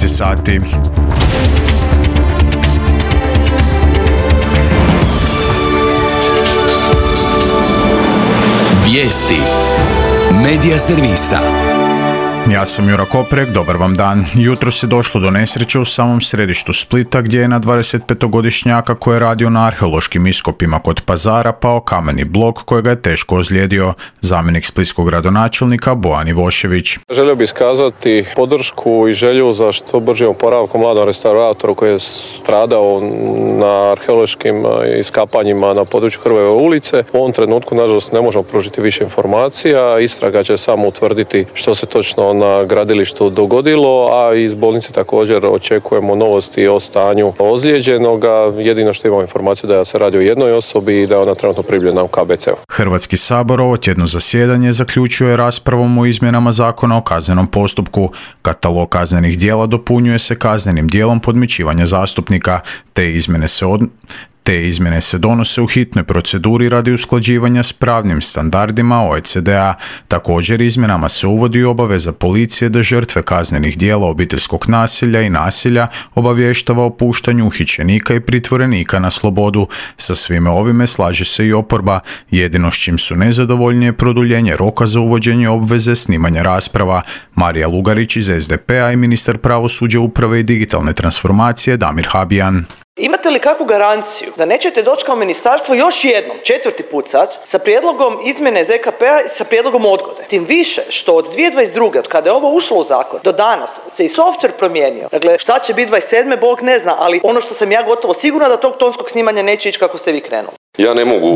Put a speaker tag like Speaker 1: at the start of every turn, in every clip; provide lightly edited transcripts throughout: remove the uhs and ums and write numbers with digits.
Speaker 1: 12 sati.
Speaker 2: Vijesti Medija servisa.
Speaker 1: Ja sam Jura Koprek, dobar vam dan. Jutro se došlo do nesreće u samom središtu Splita gdje je na 25-godišnjaka koji je radio na arheološkim iskopima kod Pazara pao kameni blok kojega je teško ozlijedio. Zamjenik splitskog gradonačelnika Bojan Ivošević.
Speaker 3: Želio bih iskazati podršku i želju za što bržim oporavkom mladom restauratoru koji je stradao na arheološkim iskapanjima na području Hrvojeve ulice. U ovom trenutku, nažalost, ne možemo pružiti više informacija. Istraga će samo utvrditi što se točno na gradilištu dogodilo, a iz bolnice također očekujemo novosti o stanju ozlijeđenoga. Jedino što imamo informaciju da se radi o jednoj osobi i da je ona trenutno primljena u KBC-u.
Speaker 1: Hrvatski sabor ovo tjedno zasjedanje zaključuje raspravom o izmjenama Zakona o kaznenom postupku. Katalog kaznenih djela dopunjuje se kaznenim djelom podmićivanja zastupnika. Te izmjene se donose u hitnoj proceduri radi usklađivanja s pravnim standardima OECD-a. Također izmjenama se uvodi obaveza policije da žrtve kaznenih djela obiteljskog nasilja i nasilja obavještava o puštanju uhićenika i pritvorenika na slobodu. Sa svime ovime slaže se i oporba. Jedino s čim su nezadovoljni je produljenje roka za uvođenje obveze snimanja rasprava. Marija Lugarić iz SDP-a i ministar pravosuđa, uprave i digitalne transformacije Damir Habijan.
Speaker 4: Imate li kakvu garanciju da nećete doći kao ministarstvo još jednom, 4. put sad, sa prijedlogom izmjene ZKP-a i sa prijedlogom odgode? Tim više što od 2022. od kada je ovo ušlo u zakon do danas se i softver promijenio. Dakle, šta će biti 27. Bog ne zna, ali ono što sam ja gotovo sigurna da tog tonskog snimanja neće ići kako ste vi krenuli.
Speaker 5: Ja ne mogu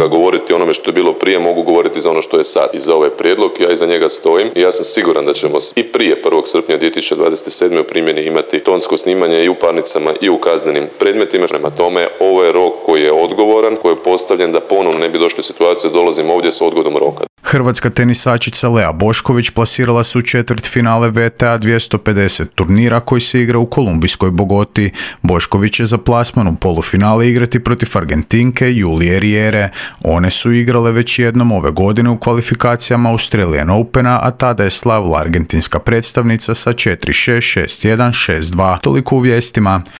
Speaker 5: govoriti o onome što je bilo prije, mogu govoriti za ono što je sad. I za ovaj prijedlog ja iza njega stojim i ja sam siguran da ćemo i prije 1. srpnja 2027. u primjeni imati tonsko snimanje i u parnicama i u kaznenim predmetima. Prema tome, ovo je rok koji je odgovoran, koji je postavljen da ponovno ne bi došli u situaciju da dolazimo ovdje s odgodom roka.
Speaker 1: Hrvatska tenisačica Lea Bošković plasirala se u četvrtfinale WTA 250 turnira koji se igra u kolumbijskoj Bogoti. Bošković je za plasman u polufinale igrati protiv Argentinke Julije Riere. One su igrale već jednom ove godine u kvalifikacijama Australian Opena, a tada je slavila argentinska predstavnica sa 4-6, 6-1, 6-2. Toliko u vijestima.